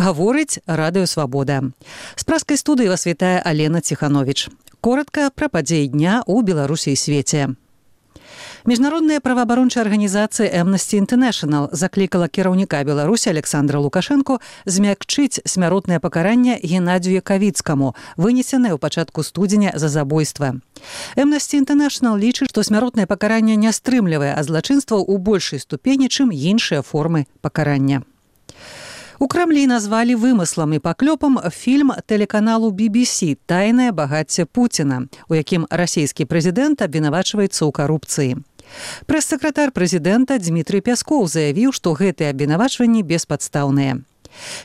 Гаворыць Радыё Свабода. З праскай студыі вас вітае Алена Ціхановіч. Коротка пра падзеі дня ў Беларусі і свеце. Міжнародная праваабарончая арганізацыя Amnesty International заклікала кіраўніка Беларусі Александра Лукашэнку змякчыць смяротнае пакаранне Геннадзію Якавіцкаму, вынесенае ў пачатку студзеня за забойства. Amnesty International лічыць, што смяротнае пакаранне не стрымлівае, а злачынстваў у большай ступені, чым іншыя формы пакарання. У Крамлі назвалі вымыслам і паклёпам фільм тэлеканалу BBC «Тайнае багацце Пуціна», у якім расійскі прэзідэнт абвінавачваецца ў карупцыі. Прэс-сакратар прэзідэнта Дмітрый Пяскоў заявіў, што гэтыя абвінавачванні беспадстаўныя.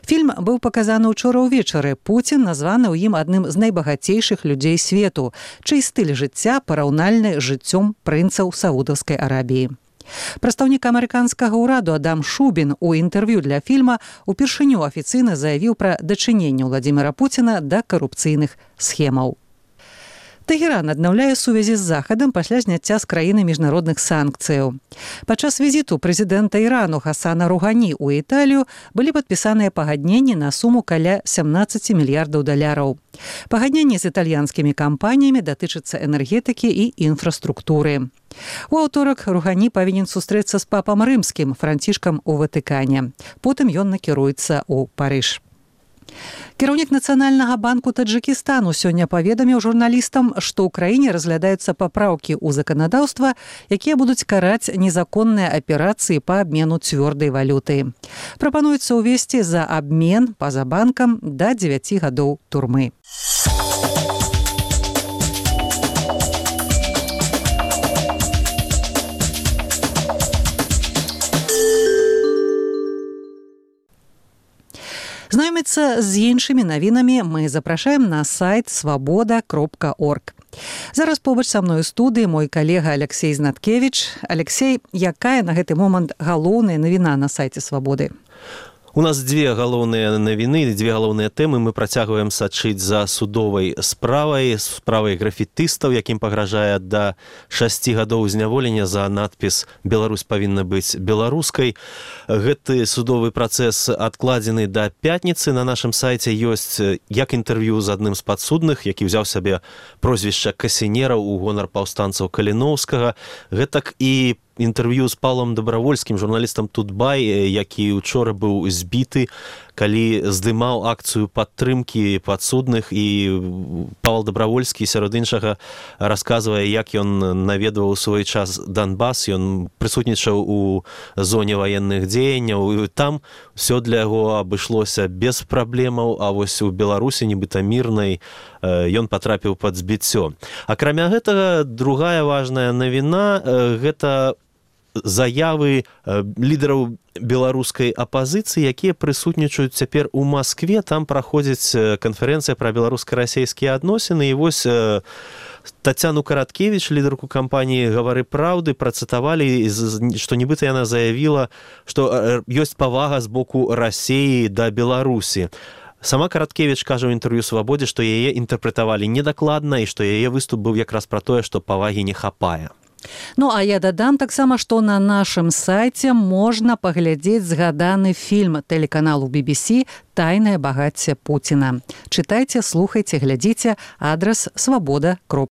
Фільм быў паказаны ўчора ўвечары. Пуцін названы ў ім адным з найбагацейшых людзей свету, чый стыль жыцця параўнальны з жыццём прынцаў Саудаўскай Арабіі. Прадстаўнік амерыканскага ўраду Адам Шубін у інтэрв'ю для фільма упершыню афіцыйна заявіў пра дачыненне Владзіміра Пуціна да карупцыйных схемаў. Тэгеран аднаўляе сувязі з Захадам пасля зняцця з краіны міжнародных санкцыяў. Падчас візіту прэзідэнта Ірану Хасана Ругані ў Італію былі падпісаныя пагадненні на суму каля 17 мільярдаў даляраў. Пагадненні з італьянскімі кампаніямі датычацца энергетыкі і інфраструктуры. У аўторак Ругані павінен сустрэцца з папам рымскім Францішкам у Ватыкане. Потым ён накіруецца ў Парыж. Кіраўнік Нацыянальнага банку Таджыкістану сёння паведаміў журналістам, што ў краіне разглядаюцца папраўкі ў заканадаўства, якія будуць караць незаконныя аперацыі па абмену цвёрдай валюты. Прапануецца ўвесці за абмен па-за банкам да 9 гадоў турмы. Знаёміцца з іншымі навінамі мы запрашаем на сайт свабода.орг. Зараз побач са мной у студыі мой калега Алексей Знаткевіч. Алексей, якая на гэты момант галоўная навіна на сайце Свабоды? У нас две галоўныя навіны, две галоўныя тэмы. Мы працягваем сачыць за судовай справай графітыстаў, якім пагражае да 6 гадоў зняволення за надпіс «Беларусь павінна быць беларускай». Гэты судовы працэс адкладзены да пятніцы. На нашым сайце ёсць як інтэрв'ю з адным з падсудных, які ўзяў сабе прозвішча Касінера ў гонар паўстанцаў Каліноўскага. Гэтак і інтэрв'ю з Павлом Дабравольскім, журналістам Тутбай, які учора быў збіты, калі здымаў акцыю падтрымкі падсудных, і Павел Дабравольскі сярод іншага расказвае, як ён наведваў у свой час Донбас, ён прысутнічаў у зоне ваенных дзеянняў, і там все для яго абышлося без праблемаў, а вось у Беларусі, нібыта мірнай, ён патрапіў пад збіццё. Акрамя гэтага, другая важная навіна – гэта заявы лідараў беларускай апазіцыі, якія прысутнічаюць цяпер у Маскве. Там праходзіць канферэнцыя пра беларуска-расейскія адносіны, і вось Тацяну Караткевіч, лідарку кампаніі «Гавары праўды», працытавалі, што нібыта яна заявіла, што ёсць павага з боку Расіі да Беларусі. Сама Караткевіч кажа ў інтэрв'ю «Свабодзе», што яе інтэрпрэтавалі недакладна і што яе выступ быў якраз пра тое, што павагі не хапае. Ну, а я дадам таксама, што на нашым сайце можна паглядзець згаданы фільм тэлеканалу BBC «Тайнае багацце Пуціна». Чытайце, слухайце, глядзіце. Адрас свабода.орг.